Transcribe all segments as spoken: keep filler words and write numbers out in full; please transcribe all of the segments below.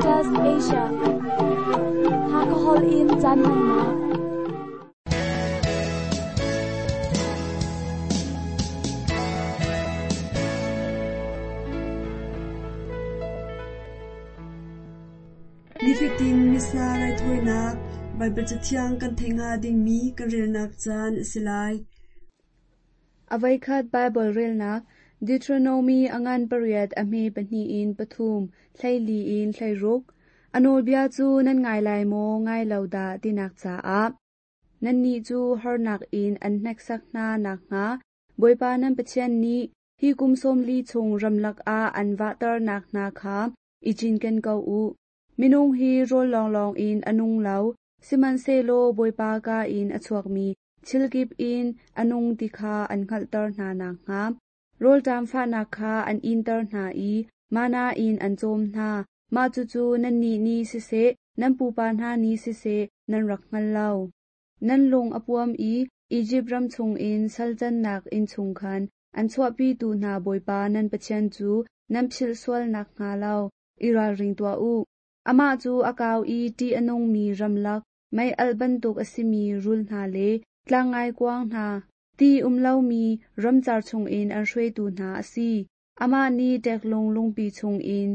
Caritas Asia. Hakahol in caan hmannak. Nifatin Missa raithawinak Baibal Cathiang kan theih hnga dingmi kan relnak caan a si lai. Avoikhat Baibal relnak Deuteronomy a ngan pariat a hme pahnih in pathum, hleili in hleiruk. A nawlbia cu nan ngai lai maw ngai lo dah tinak caah nannih cu harnak in an hneksak hna nakhnga Bawipa nan Pathian nih hi kum sawmli chung ramlak ah an vahternak hna kha i cinken ko u. Minung hi rawl lawnglawng in a nung lo, sihmanhsehlaw Bawipa ka in a chuakmi thilkip in a nung ti kha an hngalhter hna nakhnga rawlṭam fahnak kha an inter hna i mana in an cawm hna. Mah cucu nannih nih siseh, nan pupa hna nih siseh, nan rak hngal lo. Nan lung a puam i Izipt ram chungin salcannak inn chung khan an chuahpitu hna Bawipa nan Pathian cu nan philh sual nakhnga lo i ralring tuah u. Amah cu a kau i ṭih a nungmi ramlak, mei alh bantuk a simi rul hna le tlangngaikuang hna, ti um lomi ramcar chungin an hruaitu hna a si. Amah nih ṭeklung lungpi chungin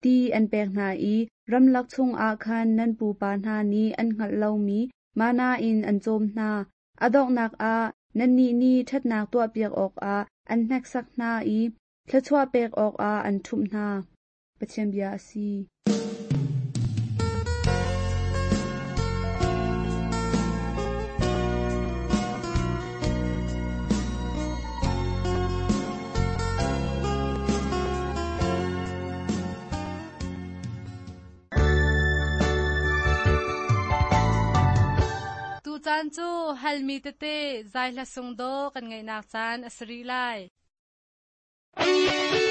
ti an pek hna i ramlak chungah khan nan pupa hna nih an hngalh lomi mana in an cawm hna. A donghnak ah nannih nih ṭhatnak tuahpiak awkah an hneksak hna i thluachuah pek awkah an ṭhumh hna. Pathian bia a si. Tu caan cu halmi tete zai hla sung do kan ngaihnak caan a si rih lai. See.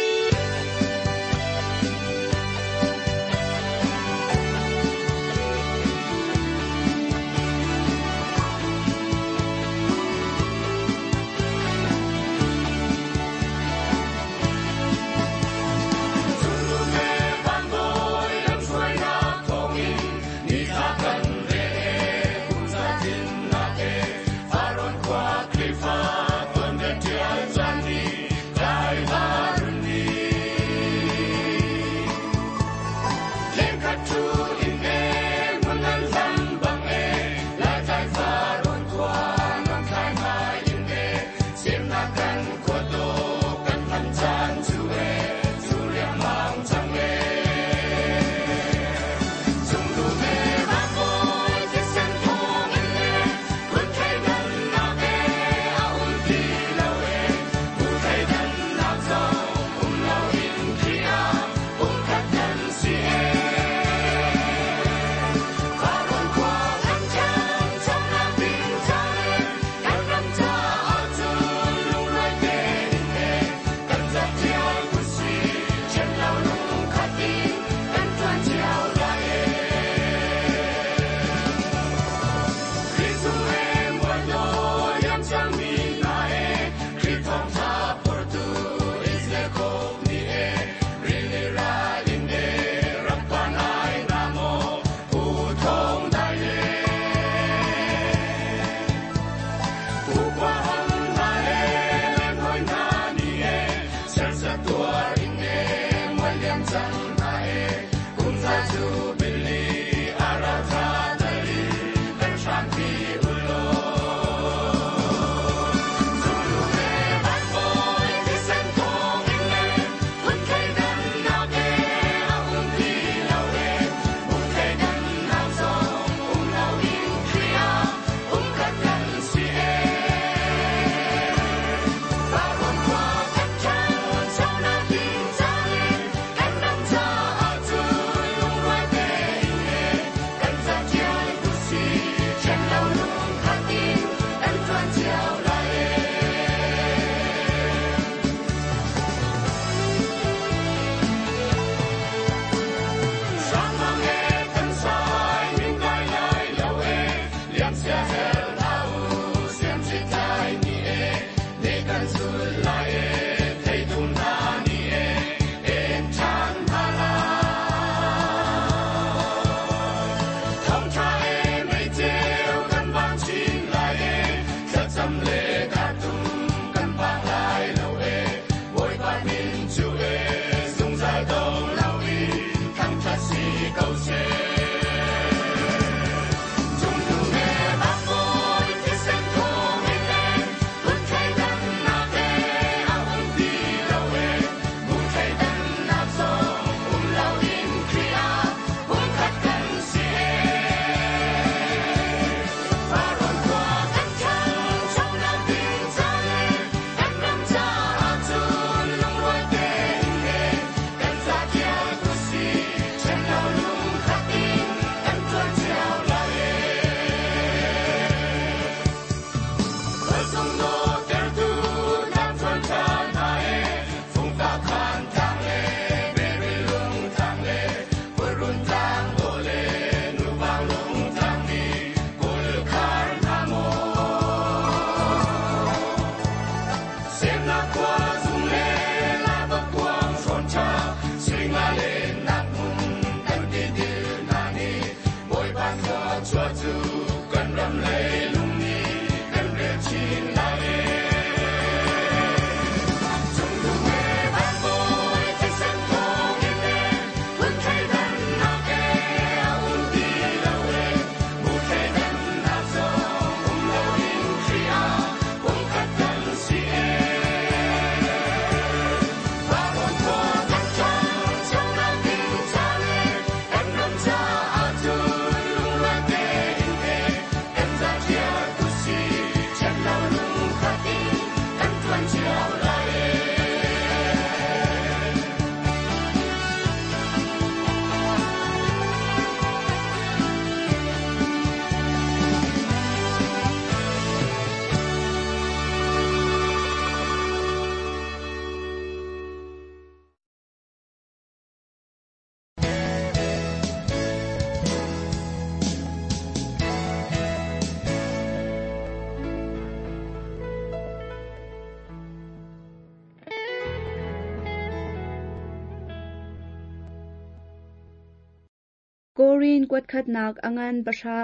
Korin kuatkhatnak angan pahra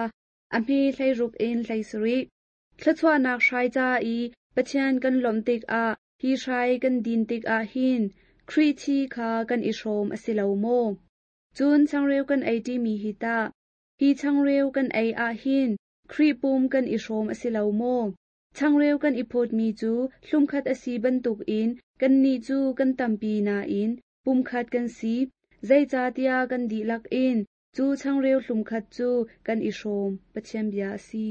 a hme hleiruk in hleisarih. Thluachuahnak hrai ca i Pathian kan lawmh tikah hi hrai kan din tikah hin Khrih thi kha kan i hrawm a si lo maw? Cun changreu kan ei ṭimi hi tah, hi changreu kan ei ah hin Khrih pum kan i hrawm a si lo maw? Changreu kan i phawtmi cu hlumkhat a si bantukin kannih cu kan tampi nain pumkhat kan si, zeicahtiah kan dihlak in cu changreu hlumkhat cu kan i hrawm. Pathian bia a si.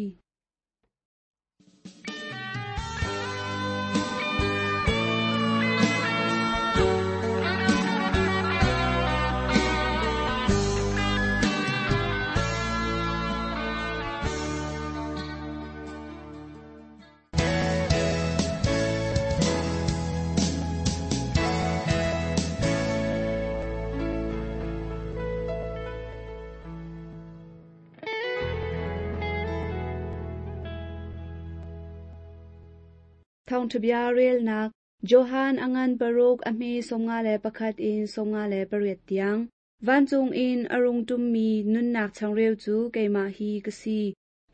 Thawngṭhabia relnak Johan angan paruk a hme sawmnga le pakhat in sawmnga le pariat tiang. Vancung in a rung ṭummi nunnak changreu cu keimah hi ka si.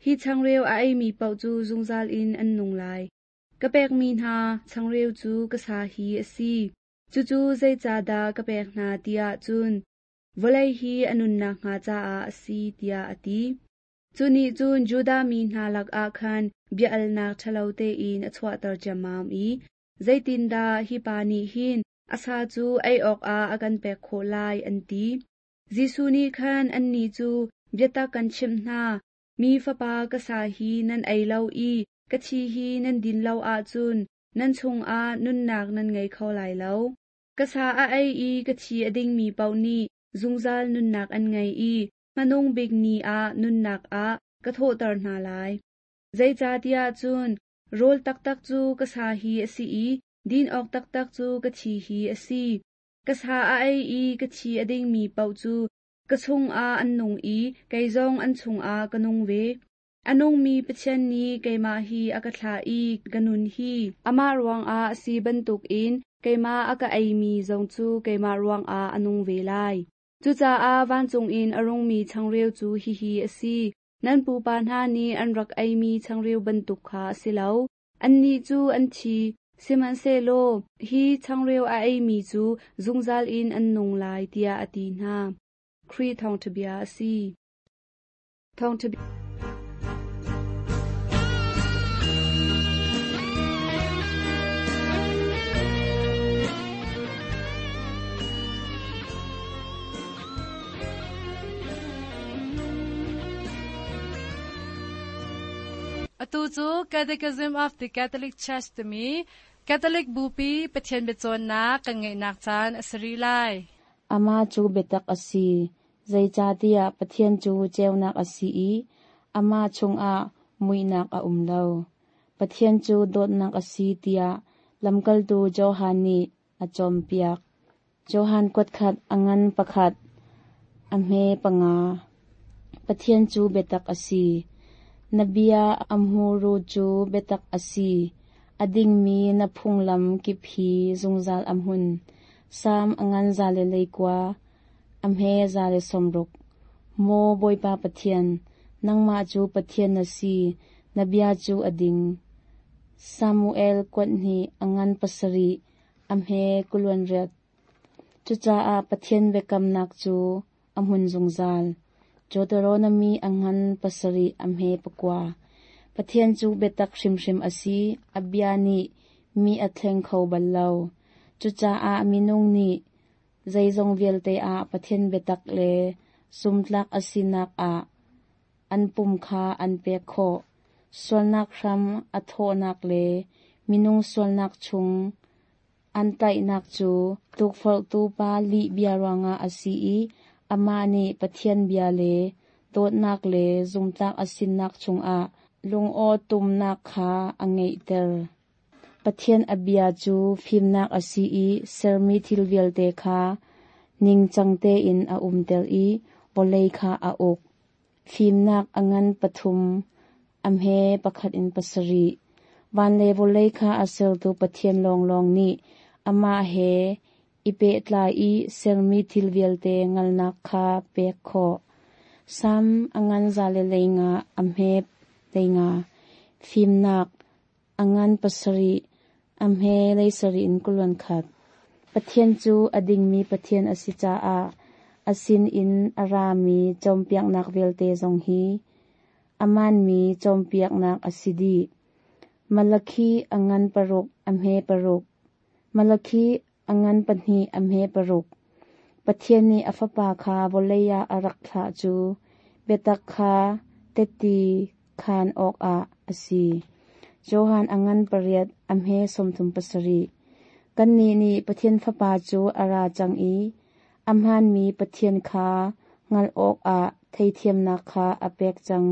Hi changreu a eimi paoh cu zungzal in an nung lai. Ka pekmi hna changreu cu ka sa hi a si. Cucu zeicahdah ka pek hna tiah cun vawlei hi a nunnak hnga caah a si tiah a ti. Cu nih cun Judah mi hna lakah khan bia-alnak ṭhalo tein a chuahter ciammam i zeitindah hi pa nih hin a sa cu ei awkah a kan pek khawh lai an ti. Jesuh nih khan annih cu biatak kan chimh hna, mi fapa ka sa hi nan ei lo i ka thi hi nan din lo ahcun nan chungah nunnak nan ngei kho lai lo. Ka sa a ei i ka thi a dingmi paoh nih zungzal nunnak an ngei i hmanung bik ni ah nunnak ah ka thawhter hna lai. Zeicahtiah cun rawl taktak cu ka sa hi a si i din awk taktak cu ka thi hi a si. Ka sa a ei i ka thi a dingmi paoh cu ka chungah an nung i kei zong an chungah ka nung ve. A nungmi Pathian nih keimah hi a ka thlah i ka nun hi amah ruangah a si bantukin keimah a ka eimi zong cu keimah ruangah a nung ve lai. Cucaah vancung in a rungmi changreu cu hihi a si. Nan pupa hna nih an rak eimi changreu bantuk kha a si lo. Annih cu an thi, sihmanhsehlaw hi changreu a eimi cu zungzal in an nung lai tiah a ti hna. Khrih thawngṭha bia a si. Thawngṭha Atu cu Catechism of the Catholic Church timi Catholic Bupi Pathian biacawnnak kan ngeihnak caan a si rih lai. Amah cu biatak a si, zeicahtiah Pathian cu ceunak a si i amah chungah muihnak a um lo. Pathian cu dawtnak a si tiah lamkaltu Johan nih a cawnpiak. Johan kuatkhat a ngan pakhat, a hme panga. Pathian cu biatak a si. Na bia a hmuru cu biatak a si. A dingmi na phunglam kip hi zungzal a hmun. Sam a ngan za le leikua, a hme za le sawmruk. Maw Bawipa Pathian, nangmah cu Pathian na si, na bia cu a ding. Samuel kuathnih a ngan pasarih, a hme kuluan riat. Cucaah Pathian biakamnak cu a hmun zungzal. Deuteronomy a ngan pasarih a hme pakua. Pathian cu biatak hrimhrim a si, a bia nih mi a thleng kho bal lo. Cucaah minung nih zeizong vialte ah Pathian biatak le zumtlak a sinak ah an pum kha an pek khawh. Sualnak hram a thawhnak le minung sualnak chung an tlaihnak cu tukforhtu pa lih bia ruangah a si i amah nih Pathian bia le dawtnak le zumtlak a sinak chungah lungaw tumnak kha a ngeihter. Pathian a bia cu fimnak a si i sermi thil vialte kha ningcang tein a umter i vawlei kha a uk. Fimnak a ngan pathum, a hme pakhat in pasarih. Van le vawlei kha a sertu Pathian lawnglawng nih amah he i pehtlai i sermi thil vialte ngalnak kha pek khawh. Sam angan zale leinga amhe leinga. Fimnak angan pasari amhe leisari in kulon khat. Pathian cu a dingmi Pathian a si caah a sin in a rami cawnpiaknak vialte zong hi amanmi cawnpiaknak a si dih. Malakhi angan paruk amhe paruk. Malakhi angan pahnih amhe paruk. Pathian nih a fapa kha vawlei ah a rak thlah cu biatak kha teti khan awkah a si. Johan angan pariat amhe sawmthum pasarih. Kannih nih Pathian fapa cu a ra cang i a hmaanmi Pathian kha hngalh awkah theithiamnak kha a pek cang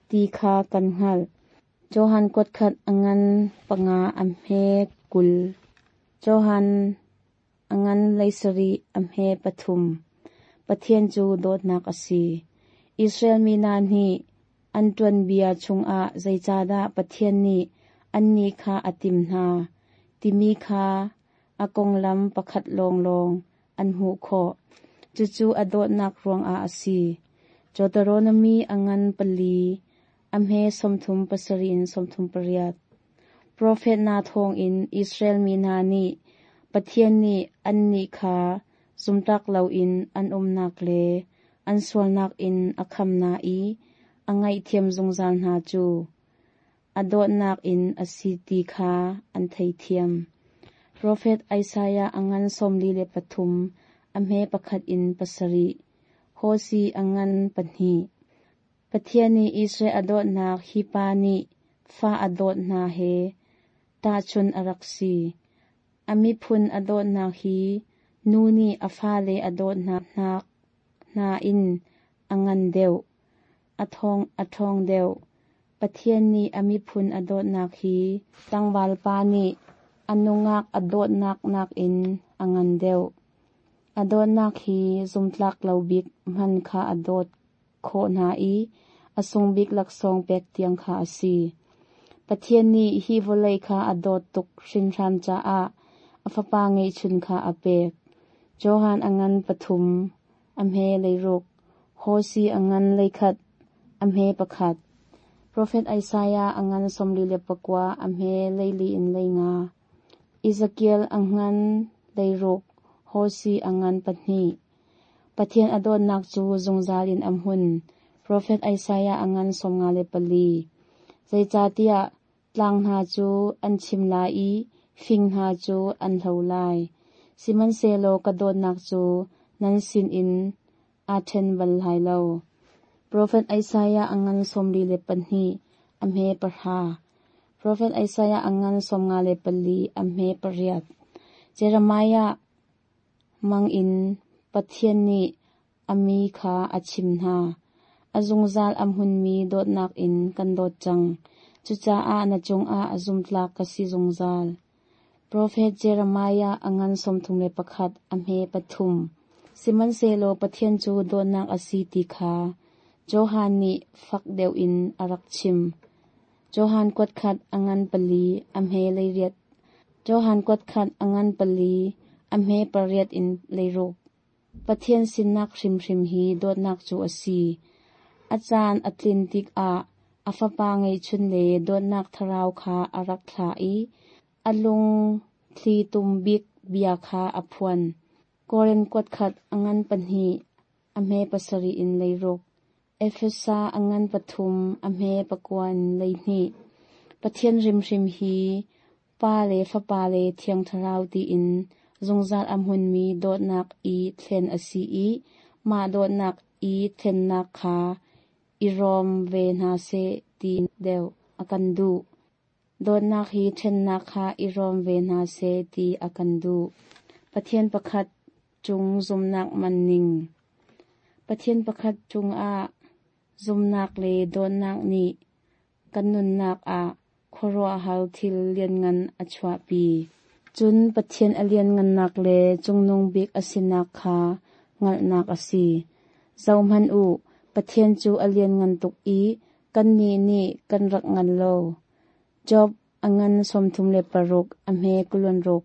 ti kha kan hngalh. Johan kuatkhat angan panga amhe kul. Johan angan leisarih amhe pathum. Pathian cu dawtnak a si. Israel mi hna nih an tuanbia chungah zeicahdah Pathian nih annih kha a tim hna, timi kha a konglam pakhat lawnglawng an hmuh khawh. Cucu a dawtnak ruangah a si. Deuteronomy angan pali amhe sawmthum pasarih in sawmthum pariat. Profet hna thawngin Israel mi hna nih Pathian nih annih kha zumtak loin an umnak le an sualnak in a kham hna i a ngaihthiam zungzal hna cu a dawtnak in a si ti kha an theithiam. Profet Isaiah angan sawmli le pathum amhe pakhat in pasarih. Hosi angan pahnih. Pathian nih Israel a dawtnak hi pa nih fa a dawt hna he tahchun a rak si. A miphun a dawtnak hi nu nih a fale a dawt hna hna in a ngan deuh, a thawng a ṭhawng deuh. Pathian nih a miphun a dawtnak hi tlangval pa nih a nungak a dawtnak nakin a ngan deuh. A dawtnak hi zumtlak lo bik hmanh kha a dawt khawh hna i a sung bik laksawng pek tiang kha a si. Pathian nih hi vawlei kha a dawt tuk hringhran caah a fapa ngeihchun kha a pek. Johan angan pathum, amhe leiruk, Hosi angan leikhat, amhe pakhat. Profet Isaiah angan sawmli le pakua, amhe leili in leinga. Ezekiel angan leiruk, Hosi angan pahnih. Pathian a dawtnak cu zungzal in a hmun. Profet Isaiah angan sawmnga le pali. Zeicahtiah tlang hna cu an chim lai i fing hna cu an hlo lai. Sihmanhsehlaw ka dawtnak cu nan sinin aa ṭhen bal lai lo. Profet Isaiah angan sawmli le pahnih, amhe pahra. Profet Isaiah angan sawmnga le pali, amhe pariat. Jeremiah mang in Pathian nih a mi kha a chim hna. A zungzal a hmunmi dawtnak in kan dawt cang. Cucaah na cungah a zumtlak ka si zungzal. Profet Jeremiah angan sawmthum le pakhat, amhe pathum. Sihmanhsehlaw Pathian cu dawtnak a si ti kha Johan nih fak deuh in a rak chim. Johan kuatkhat angan pali, amhe leiriat. Johan kuatkhat angan pali, amhe pariat in leiruk. Pathian sinak hrimhrim hi dawtnak cu a si. A caan a tlin tikah a fapa ngeihchun le dawtnak thlarau kha a rak thlah i a lung thli tum bik bia kha a phuan. Korin kuatkhat angan pahnih, amhe pasarih in leiruk. Efesa angan pathum, amhe pakua in leihnih. Pathian hrimhrim hi pa le fapa le thiang thlarau tiin zungzal a hmunmi dawtnak i thlen a si i mah dawtnak i thlennak kha i rawm ve hna seh ti deuh a kan duh. Dawtnak hi ṭhennak kha i rawm ve hna seh ti a kan duh. Pathian pakhat cung zumnak man ning. Pathian pakhat cungah zumnak le dawtnak nih kan nunnak ah khuaruahhar thil lianngan a chuahpi. Cun Pathian a lianngannak le cungnung bik a sinak kha hngalhnak a si. Zohhmanh u, Pathian cu a lianngan tuk i kannih nih kan rak ngan lo. Job angan sawmthum le paruk, amhe kulon ruk.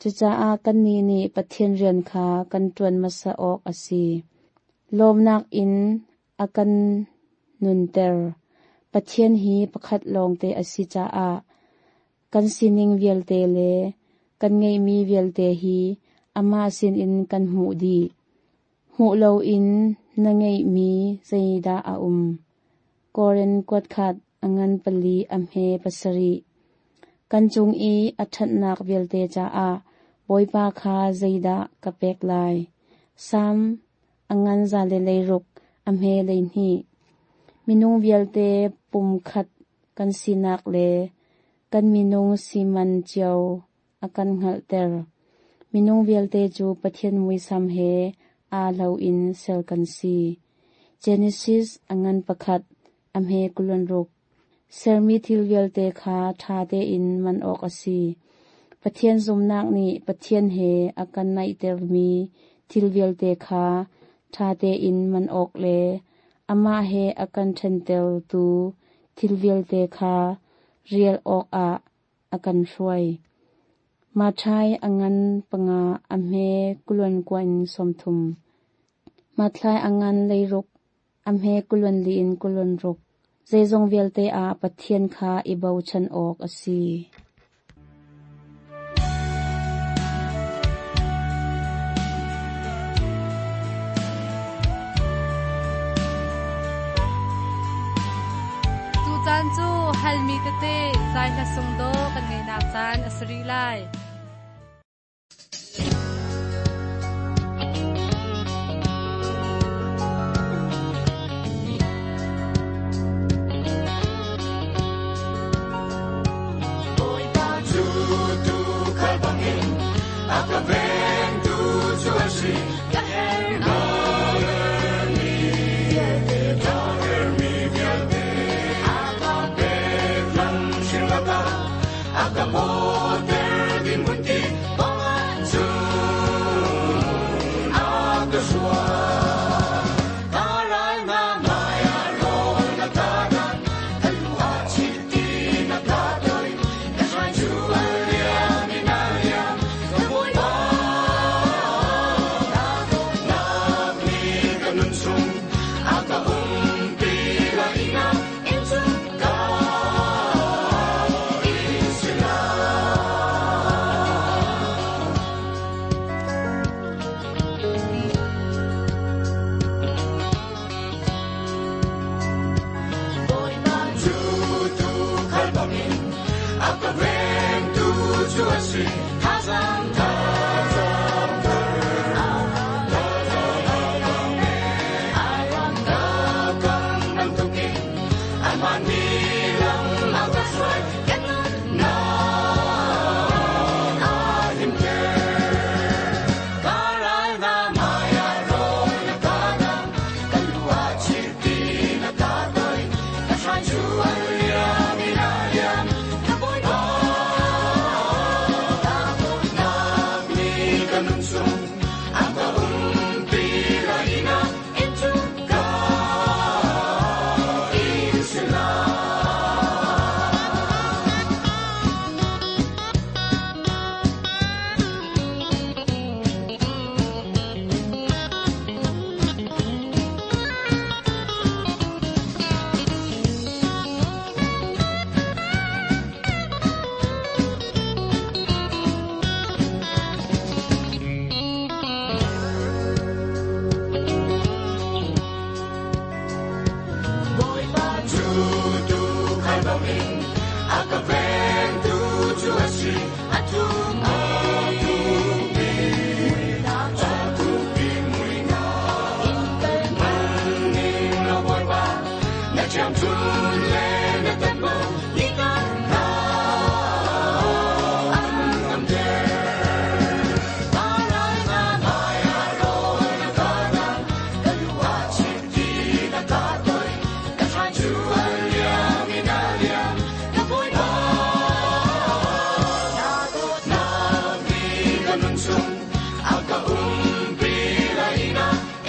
Cucaah kannih nih Pathian rian kha kan ṭuan hmasa awk a si. Lawmnak in A kan nunter. Pathian hi pakhat lawngte a si caah kan sining vialte le kan ngeihmi vialte hi amah sinin kan hmuh dih. Hmuh loin na ngeihmi zeidah a um. Korin kuatkhat a ngan pali a hme pasarih. Kan cung i a ṭhatnak vialte caah Bawipa kha zeidah ka pek lai. Sam a ngan za le leiruk a hme leihnih. Minung vialte pumkhat kan sinak le kan minung siman cio a kan hngalhter. Minung vialte cu Pathian muisam he aa lo in ser kan si. Genesis a ngan pakhat a hme kulon ruk. Sermi thil vialte kha ṭha tein man awk a si. Pathian zumnak nih Pathian he a kan naihtermi thil vialte kha ṭha tein man awk le amah he a kan ṭhentertu thil vialte kha rial awkah a kan hruai. Mathai a ngan panga a hme kulon kuan sawmthum. Mathlai a ngan leiruk a hme kulon li in kulon ruk. Zeizong vialte ah Pathian kha i bochan awk a si. Tucaan cu halmi tete zai hla sung do kan ngeihnak caan a si rih lai.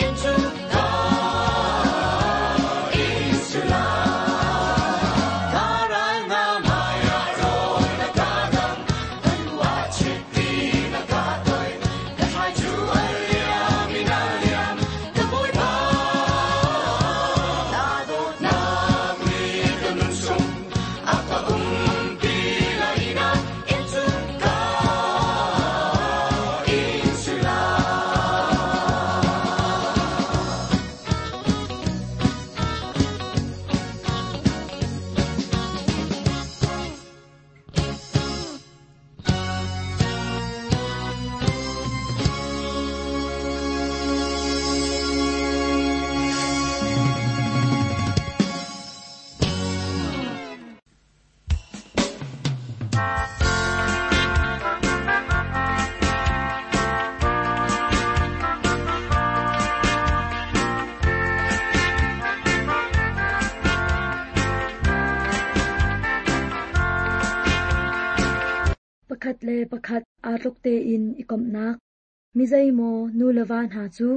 Into God is Pakhat le pakhat aa tluk tein i komhnak. Mi zeimaw nu le va hna cu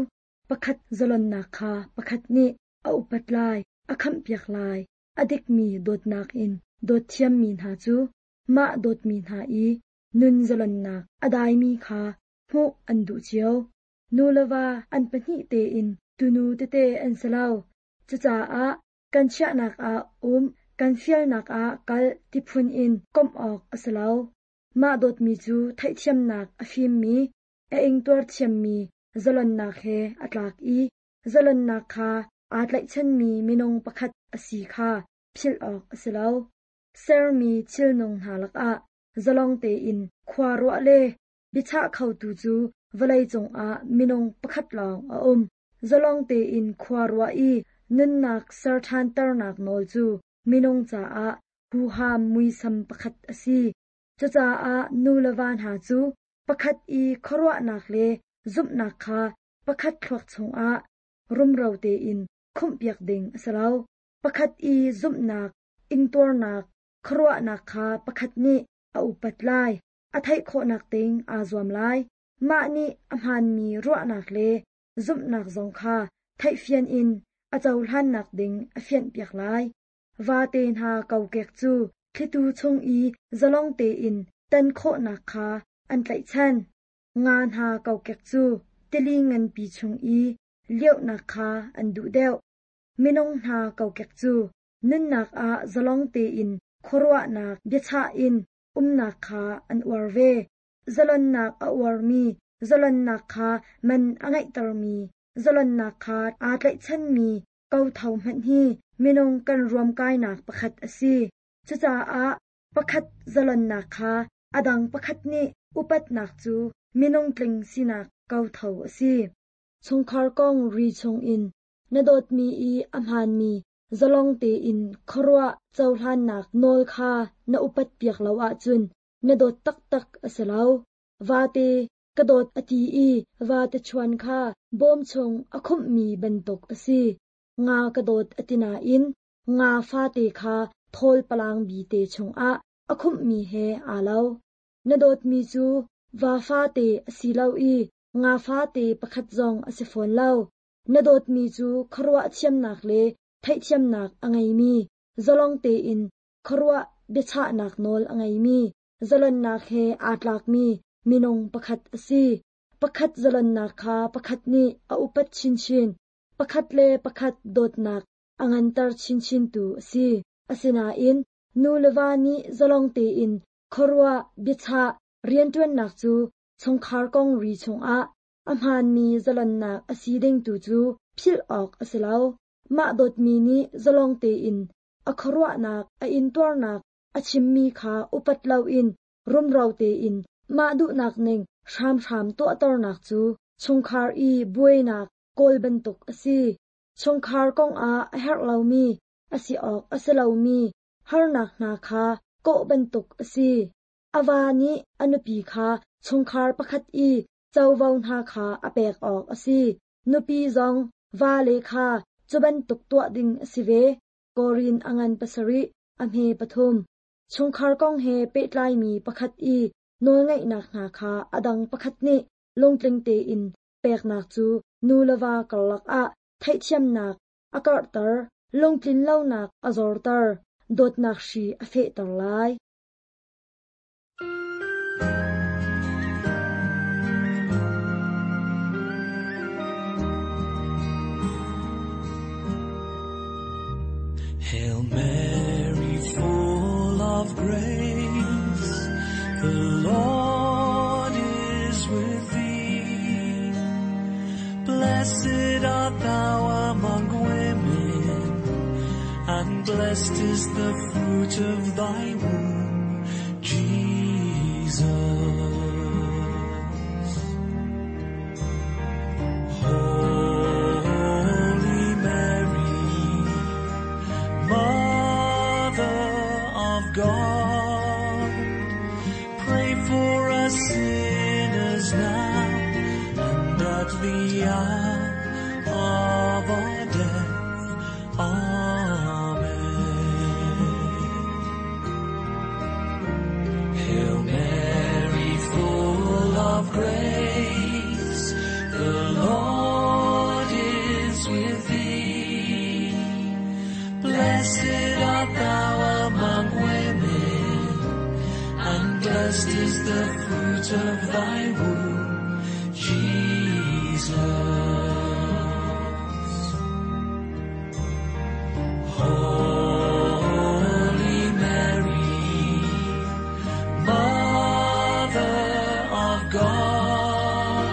pakhat zalonnak kha pakhat nih a upat lai, a khamhpiak lai, a dikmi dawtnak in dawt thiammi hna cu mah dawtmi hna i nun zalonnak a daimi kha hmuh an duh cio. Nu le va an pahnih tein tunu tete an si lo. Cucaah kan chiahnak ah um, kan fialnak ah kal ti phun in komh awk a si lo. Mah dawtmi cu theihthiamnak a fimmi, a ingtuar thiammi zalonnak he a tlak i zalonnak kha aa tlaihchanmi minung pakhat a si kha philh awk a si lo. Sermi thilnung hna lakah zalong tein khua ruah le biachah khotu cu vawlei cungah minung pakhat lawng a um. Zalong tein khua ruah i nunnak ser ṭhanternak nawl cu minung caah huham muisam pakhat a si. Cucaah nu le va hna cu pakhat i khuaruahnak le zumhnak kha pakhat thluak chungah rumro tein khumhpiak ding a si lo. Pakhat i zumhnak, ingtuarnak, khuaruahnak kha pakhat nih a upat lai, a theih khawhnak ding aa zuam lai. Mah nih a hmaanmi ruahnak le zumhnak zong kha theihfian in a cohlannak ding a fianhpiak lai. Vate hna kokek cu thlitu chung i zalong tein tan khawhnak kha an tlaihchan. Nga hna kokek cu tili nganpi chung i liauhnak kha an duh deuh. Minung hna kokek cu nunnak ah zalong tein khuaruahnak biachah in umnak kha an uar ve. Zalonnak a uarmi, zalonnak kha man a ngeihtermi, zalonnak kha aa tlaihchanmi kotho hmanh hi minung kan ruamkainak pakhat a si. Cucaah pakhat zalonnak kha a dang pakhat nih upatnak cu minung tling sinak kotho a si. Chungkhar kong ri chungin na dawtmi i a hmaanmi zalong tein khuaruah cohlannak nawl kha na upat piak lo ahcun na dawt taktak a si lo. Vate ka dawt a ti i vate chuan kha bawm chung a khumhmi bantuk a si. Nga ka dawt a ti nain nga fate kha thawl palang bi te chungah a khumhmi he aa lo. Na dawtmi cu va fate a si lo i nga fate pakhat zong a si fawn lo. Na dawtmi cu khuaruah thiamnak le theihthiamnak a ngeimi, zalong tein khuaruah biachahnak nawl a ngeimi, zalonnak he aa tlakmi minung pakhat a si. Pakhat zalonnak kha pakhat nih a upat chinchin, pakhat le pakhat dawtnak a nganter chinchintu a si. Asinain nu le va nih zalong tein khuaruah biachah rianṭuannak cu chungkhar kong ri chungah a hmaanmi zalonnak a si ding tu cu philh awk a si lo. Mah dawtmi nih zalong tein a khuaruahnak, a intuarnak, a chimmi kha upat loin rumro tein mah duhnak ning hramhram tuahternak cu chungkhar i buainak kawl bantuk a si. Chungkhar kongah a herh lomi, a si awk a si lomi harnak hna kha kawh bantuk a si. A va nih a nupi kha chungkhar pakhat i covo hna kha a pek awk a si. Nupi zong vale kha cu bantuk tuah ding a si ve. Korin a ngan pasarih, a hme pathum. Chungkhar kong he pehtlaimi pakhat i nawlngeihnak hna kha a dang pakhat nih lungtling tein peknak cu nu le va karlak ah theihthiamnak a karhter, lungtlin lonak a zorter, dawtnak hri a fehter lai. Hail Mary, full of grace, the Lord is with thee. Blessed art thou among women, and blessed is the fruit of thy womb, Jesus. Holy Mary, Mother of God, pray for us sinners now and at the hour of our death. Amen. Hail Mary, Blessed art thou among women, and blessed is the fruit of thy womb, Jesus. Holy Mary, Mother of God,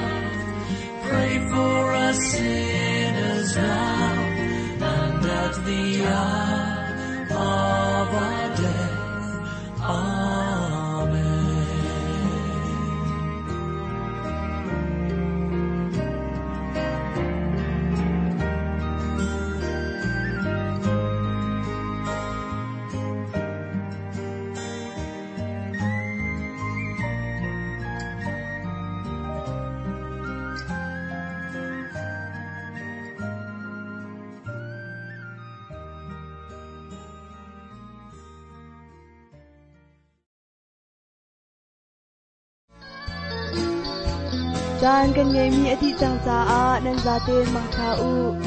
pray for us sinners now and at the hour of our death. Amen. Caan kan ngeimi a dih cang caah nan zaten mangtha u.